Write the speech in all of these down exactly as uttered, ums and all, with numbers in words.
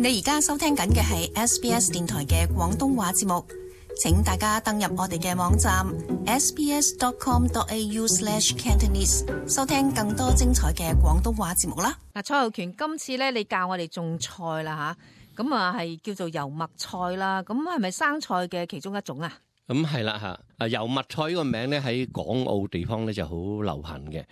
你而家收聽緊嘅係 S B S 電台嘅廣東話節目，請大家登入我哋嘅網站 s b s dot com dot a u slash cantonese 收聽更多精彩嘅廣東話節目啦。嗱，蔡浩權，今次咧你教我哋種菜啦吓，咁啊係叫做油麥菜啦，咁係咪生菜嘅其中一種啊？咁係啦吓，啊油麥菜呢個名咧喺港澳地方咧就好流行嘅，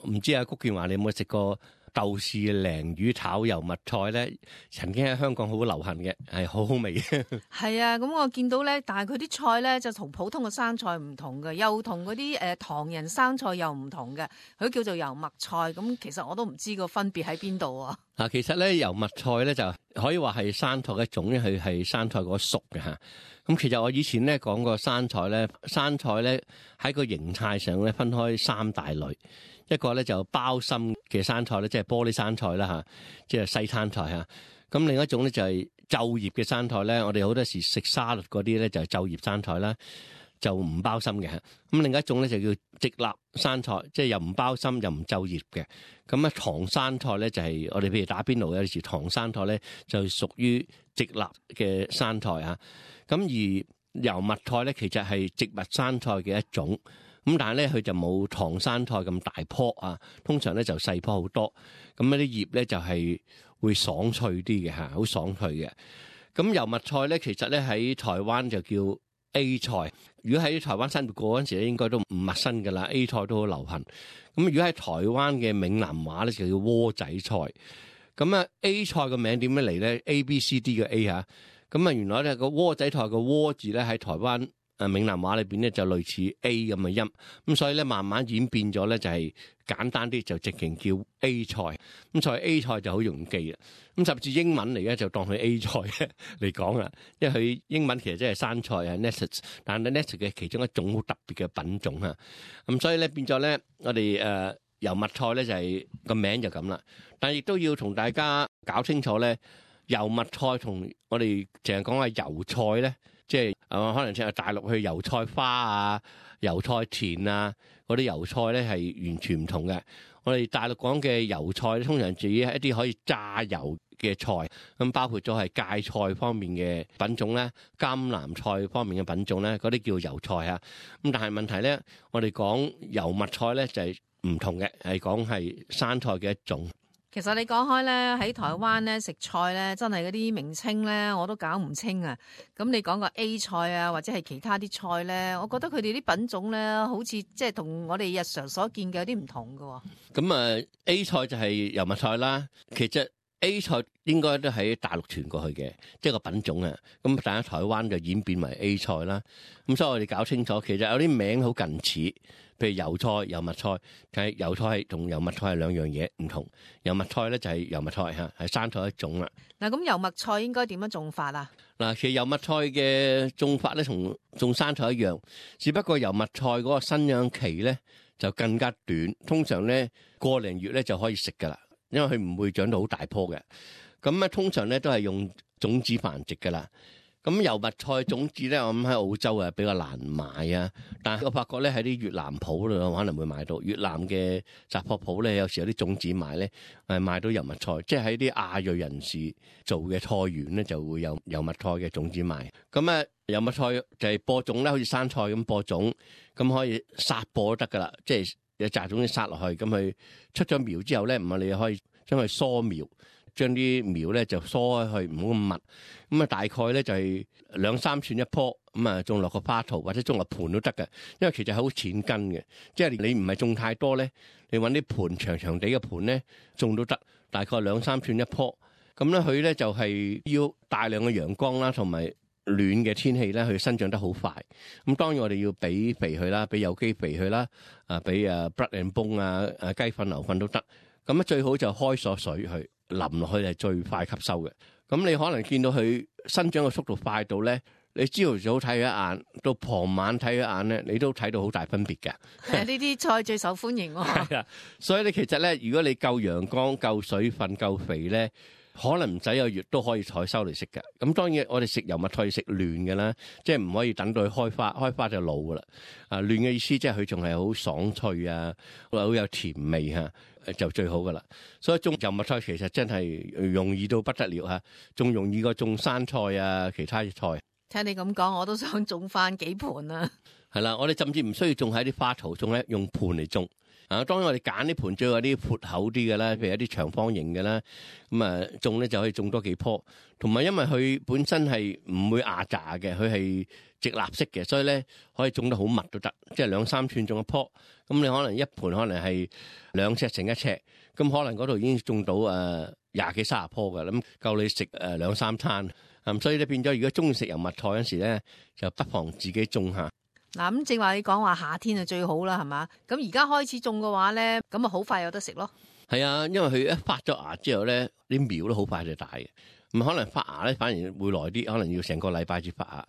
唔知阿谷健華你有冇食過？豆豉鯪魚炒油麥菜咧，曾經喺香港好流行嘅，係好好味嘅。係啊，咁我見到咧，但係佢啲菜咧就同普通嘅生菜唔同嘅，又同嗰啲誒唐人生菜又唔同嘅，佢叫做油麥菜。咁其實我都唔知個分別喺邊度啊。嗱，其實咧油麥菜咧就可以話係生菜嘅一種，因為佢係生菜嗰屬嘅嚇。咁其實我以前咧講過生菜咧，生菜咧喺個形態上咧分開三大類。一個咧就包心嘅生菜咧，即係玻璃生菜啦嚇，即係西餐菜嚇。咁另一種咧就係皺葉嘅生菜咧，我哋好多時食沙律嗰啲咧就係皺葉生菜啦，就唔包心嘅。咁另一種咧就叫直立生菜，即係又唔包心又唔皺葉嘅。咁啊唐生菜咧就係我哋譬如打邊爐有時唐生菜咧就屬於直立嘅生菜嚇。咁而油麥菜咧其實係植物生菜嘅一種。咁但係咧，佢就冇唐生菜咁大棵啊，通常咧就細棵好多。咁嗰啲葉咧就係會爽脆啲嘅嚇，好爽脆嘅。咁油麥菜咧，其實咧喺台灣就叫 A 菜。如果喺台灣生活過嗰陣時咧，應該都唔陌生㗎啦。A 菜都好流行。咁如果喺台灣嘅閩南話咧，就叫窩仔菜。咁啊 A 菜個名點樣嚟咧 ？A B C D 嘅 A 嚇。咁啊原來咧個窩仔菜個窩字咧喺台灣。誒閩南話裏邊咧就類似 A 咁嘅音，咁所以咧慢慢演變咗咧就係簡單啲就直情叫 A 菜，咁所以 A 菜就好容易記啦。咁甚至英文嚟咧就當佢 A 菜嚟講啦，因為佢英文其實即係生菜啊 lettuce， 但係 lettuce 嘅其中一種好特別嘅品種啊。咁所以咧變咗咧我哋誒油麥菜咧就係個名就咁啦，但係亦都要同大家搞清楚咧，油麥菜同我哋淨係講下油菜咧。即係誒，可能即係大陸去油菜花啊、油菜田啊嗰啲油菜咧，係完全唔同嘅。我哋大陸講嘅油菜通常自己係一啲可以炸油嘅菜，咁包括咗係芥菜方面嘅品種咧、甘藍菜方面嘅品種咧，嗰啲叫油菜啊。咁但係問題咧，我哋講油麥菜咧就係唔同嘅，係講係生菜嘅一種。其實你講開咧，喺台灣咧食菜咧，真係嗰啲名稱咧，我都搞唔清啊。咁你講個 A 菜啊，或者係其他啲菜咧，我覺得佢哋啲品種咧，好似即係同我哋日常所見嘅有啲唔同㗎。咁啊 A 菜就係油麥菜啦，其實 A 菜應該都喺大陸傳過去嘅，即係個品種啊。咁但係台灣就演變為 A 菜啦。咁所以我哋搞清楚，其實有啲名好近似。譬如油菜、油麥菜，但係油菜係同油麥菜係兩樣嘢唔同。油麥菜咧就係油麥菜嚇，係生菜一種啦。嗱，咁油麥菜應該點樣種法啊？嗱，其實油麥菜嘅種法咧同種生菜一樣，只不過油麥菜嗰個生長期咧就更加短，通常咧個零月咧就可以食噶啦，因為佢唔會長到好大棵嘅。咁咧通常咧都係用種子繁殖噶啦。咁油麥菜種子咧，我諗喺澳洲啊比較難買啊，但係我發覺咧喺啲越南鋪度可能會買到。越南嘅雜貨鋪咧，有時有啲種子賣咧，係買到油麥菜，即係喺啲亞裔人士做嘅菜園咧，就會有油麥菜嘅種子賣。咁啊，油麥菜就係播種咧，好似生菜咁播種，咁可以撒播都得噶啦，即係有紮種子撒落去，咁佢出咗苗之後咧，唔係你可以將佢疏苗。將啲苗咧就疏開去，唔好咁密。咁啊，大概咧就係兩三寸一棵，咁啊種落個花槽或者種落盆都得嘅。因為其實係好淺根嘅，即係你唔係種太多咧，你揾啲盆長長地嘅盆咧種都得，大概兩三寸一棵。咁咧佢咧就係要大量嘅陽光啦，同埋暖嘅天氣咧，佢生長得好快。咁當然我哋要俾肥佢啦，俾有機肥佢啦，啊俾啊 blood and bone 啊，啊雞糞牛糞都得。咁咧最好就開鎖水去。淋落去係最快吸收嘅，咁你可能見到佢生長嘅速度快到咧，你朝頭早睇佢一眼，到傍晚睇佢一眼咧，你都睇到好大分別嘅。呢啲菜最受歡迎喎。係啊，所以咧其實咧，如果你夠陽光、夠水分、夠肥咧，可能唔使個月都可以採收嚟食嘅。咁當然我哋食油麥菜食嫩嘅啦，即係唔可以等到佢開花，開花就老噶啦。啊，嫩嘅意思即係佢仲係好爽脆啊，好有甜味嚇。就最好噶啦。所以種油麥菜其實真係容易到不得了嚇，仲容易過種生菜啊，其他菜。聽你咁講，我都想種翻幾盆啊！係啦，我哋甚至唔需要種喺啲花槽，種喺用盤嚟種。啊，當然我哋揀啲盤最好有啲闊口啲嘅啦，譬如一啲長方形嘅啦，咁啊種咧就可以種多幾棵。同埋因為佢本身係唔會壓榨嘅，佢係直立式嘅，所以咧可以種得好密都得，即係兩三寸種一棵。咁你可能一盤可能係兩尺乘一尺，咁可能嗰度已經種到誒廿幾三十棵㗎，咁夠你食誒兩三餐。咁所以咧變咗，如果中意食油麥菜嗰時咧，就不妨自己種下。嗱，咁正話你講話夏天就最好啦，係嘛？咁而家開始種嘅話咧，咁啊好快有得食咯。係啊，因為佢一發咗芽之後咧，啲苗都好快就大嘅。咁可能發芽咧反而會耐啲，可能要成個禮拜至發芽。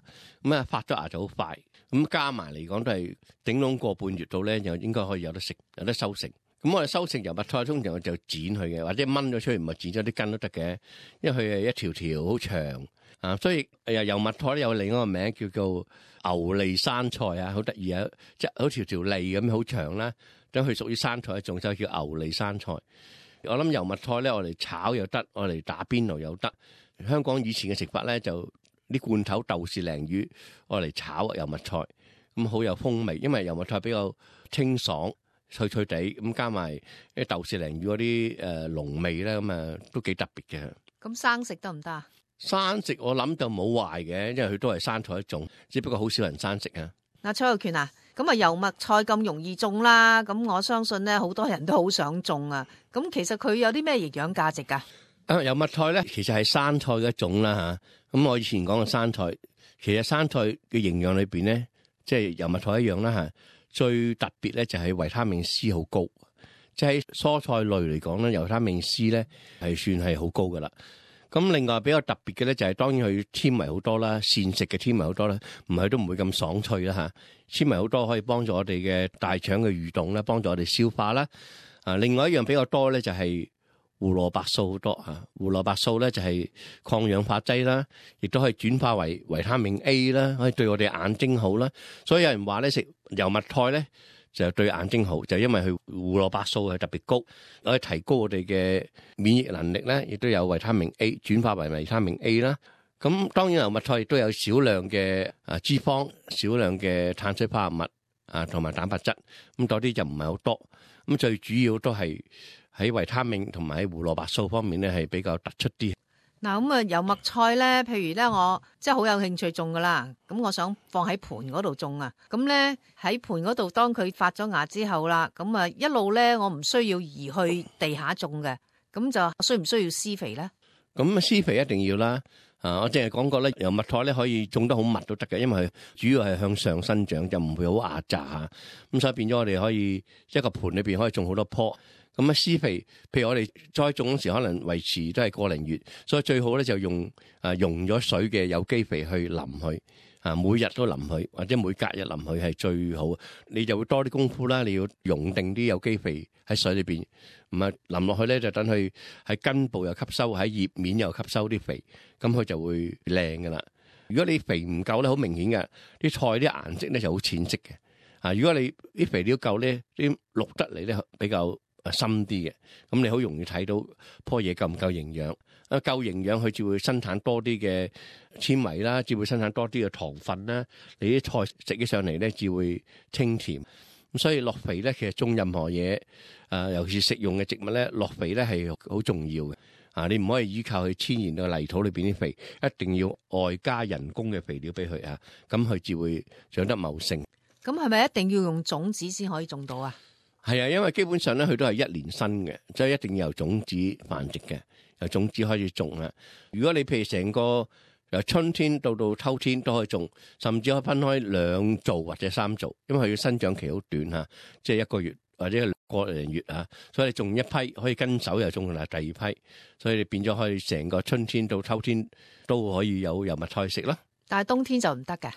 咁啊發咗芽就好快。咁加埋嚟講都係頂籠個半月度咧，就應該可以有得食，有得收成。咁我哋收成油麥菜通常就剪佢嘅，或者掹咗出嚟，唔係剪咗啲根都得嘅，因為佢係一條條好長啊，所以誒油麥菜咧有另一個名叫做牛脷生菜啊，好得意啊，即係好條條脷咁好長啦，咁佢屬於生菜一種，就叫牛脷生菜。我諗油麥菜咧，我哋炒又得，我哋打邊爐又得。香港以前嘅食法咧，就啲罐頭豆豉鯪魚，我嚟炒油麥菜，咁好有風味，因為油麥菜比較清爽。脆脆地咁加埋啲豆豉鯪魚嗰啲誒濃味咧，咁啊都幾特別嘅。咁生食得唔得啊？生食我諗就冇壞嘅，因為佢都係生菜一種，只不過好少人生食啊。嗱，蔡浩權啊，咁啊油麥菜咁容易種啦，咁我相信咧好多人都好想種啊。咁其實佢有啲咩營養價值㗎？啊，油麥菜咧其實係生菜嘅一種啦嚇。咁我以前講嘅生菜，其實生菜嘅營養裏邊咧，即係油麥菜一樣啦嚇。最特別咧就係維他命 C 好高，即係蔬菜類嚟講咧，維他命 C 咧係算係好高噶啦。咁另外比較特別嘅咧就係當然佢纖維好多啦，膳食嘅纖維好多啦，唔係都唔會咁爽脆啦嚇。纖維好多可以幫助我哋嘅大腸嘅蠕動啦，幫助我哋消化啦。啊，另外一樣比較多咧就係胡蘿蔔素好多嚇，胡蘿蔔素咧就係抗氧化劑啦，亦都可以轉化為維他命 A 啦，可以對我哋眼睛好啦。所以有人話咧食油麥菜咧就對眼睛好，就因為佢胡蘿蔔素係特別高，可以提高我哋嘅免疫能力咧，亦都有維他命 A 轉化為維他命 A 啦。咁當然油麥菜亦都有少量嘅啊脂肪、少量嘅碳水化合物啊同埋蛋白質，咁多啲就唔係好多。咁最主要都係喺維他命同埋喺胡蘿蔔素方面咧係比較突出啲。嗱，咁啊油麥菜咧，譬如咧我即係好有興趣種噶啦，咁我想放喺盆嗰度種啊，咁咧喺盆嗰度當佢發咗芽之後啦，咁啊一路咧我唔需要移去地下種嘅，咁就需唔需要施肥咧？咁施肥一定要啦。啊，我淨係講過咧，油麥菜咧可以種得好密都得嘅，因為佢主要係向上生長，就唔會好壓榨嚇。咁所以變咗我哋可以一個盆裏邊可以種好多棵。咁啊施肥，譬如我哋栽種嗰時可能維持都係個零月，所以最好咧就用啊溶咗水嘅有機肥去淋佢，啊每日都淋佢，或者每隔日淋佢係最好。你就會多啲功夫啦，你要溶定啲有機肥喺水裏邊，唔係淋落去咧就等佢喺根部又吸收，喺葉面又吸收啲肥，咁佢就會靚噶啦。如果你肥唔夠咧，好明顯嘅啲菜啲顏色咧就好淺色嘅。啊，如果你啲肥料夠咧，啲綠得嚟咧比較深啲嘅，咁你好容易睇到棵嘢夠唔夠營養。啊，夠營養佢至會生產多啲嘅纖維啦，至會生產多啲嘅糖分啦。你啲菜食起上嚟咧，至會清甜。咁所以落肥咧，其實種任何嘢，啊，尤其是食用嘅植物咧，落肥咧係好重要嘅。啊，你唔可以依靠佢天然嘅泥土裏邊啲肥，一定要外加人工嘅肥料俾佢啊，咁佢至會長得茂盛。咁係咪一定要用種子先可以種到啊？係啊，因為基本上咧，佢都係一年生嘅，所以一定要由種子繁殖嘅，由種子開始種啊。如果你譬如成個由春天到到秋天都可以種，甚至可以分開兩造或者三造，因為佢嘅生長期好短嚇，即係一個月或者個零月啊，所以你種一批可以跟手又種啦第二批，所以你變咗可以成個春天到秋天都可以有油麥菜食啦。但係冬天就唔得嘅，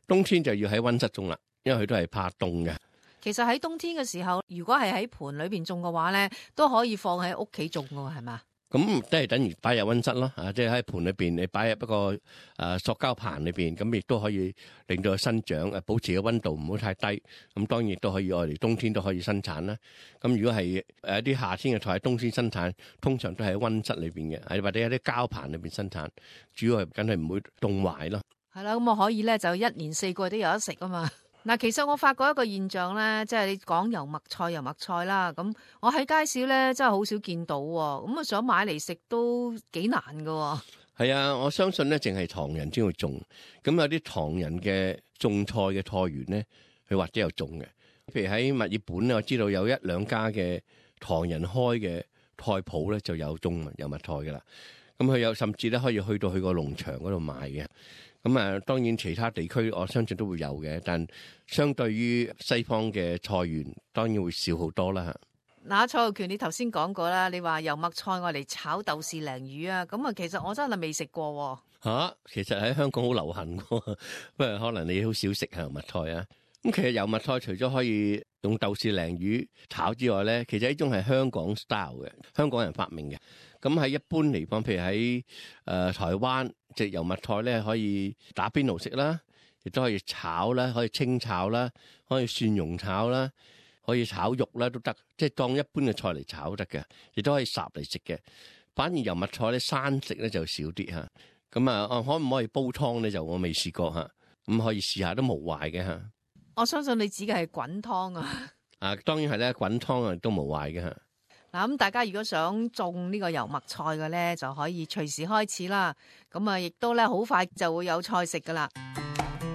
冬天就要喺溫室種啦，因為佢都係怕凍嘅。其實喺冬天嘅時候，如果係喺盆裏邊種嘅話咧，都可以放喺屋企種嘅喎，係嘛？咁都係等於擺入溫室咯，啊，即係喺盤裏邊，你擺入一個誒、呃、塑膠盤裏邊，咁亦都可以令到佢生長，誒保持個溫度唔好太低。咁當然亦都可以我哋冬天都可以生產啦。咁如果係誒一啲夏天嘅菜，冬天生產，通常都係喺溫室裏邊嘅，係或者喺啲膠盤裏邊生產，主要係梗係唔會凍壞咯。係啦，咁我可以咧就一年四季都有得食啊嘛。嗱，其實我發覺一個現象咧，即係你講油麥菜、油麥菜啦，咁我喺街市咧真係好少見到喎，咁啊想買嚟食都幾難㗎。係啊，我相信咧，淨係唐人先會種，咁有啲唐人嘅種菜嘅菜園咧，佢或者有種嘅。譬如喺墨爾本咧，我知道有一兩家嘅唐人開嘅菜鋪咧，就有種油麥菜㗎啦。咁佢有甚至咧可以去到去個農場嗰度賣嘅。咁啊，當然其他地區我相信都會有嘅，但相對於西方嘅菜園，當然會少好多啦。嗱，蔡浩權，你頭先講過啦，你話油麥菜我嚟炒豆豉鯪魚啊，咁啊，其實我真係未食過喎。嚇，其實喺香港好流行喎，不過可能你好少食油麥菜啊。咁其實油麥菜除咗可以用豆豉鯪魚炒之外咧，其實呢種係香港 style 嘅，香港人發明嘅。咁喺一般嚟講，譬如喺誒、呃、台灣，隻油麥菜咧可以打邊爐食啦，亦都可以炒啦，可以清炒啦，可以蒜蓉炒啦，可以炒肉啦都得，即係當一般嘅菜嚟炒得嘅，亦都可以烚嚟食嘅。反而油麥菜咧生食咧就少啲嚇。咁啊，可唔可以煲湯咧？就我未試過嚇，咁可以試下都無壞嘅嚇。我相信你指嘅係滾湯啊。啊，當然係咧，滾湯啊都無壞嘅嚇。嗱，咁大家如果想種呢個油麥菜嘅咧，就可以隨時開始啦。咁啊，亦都咧好快就會有菜食噶啦。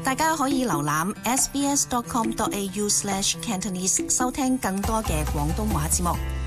大家可以瀏覽 s b s dot com dot a u slash cantonese 收聽更多嘅廣東話節目。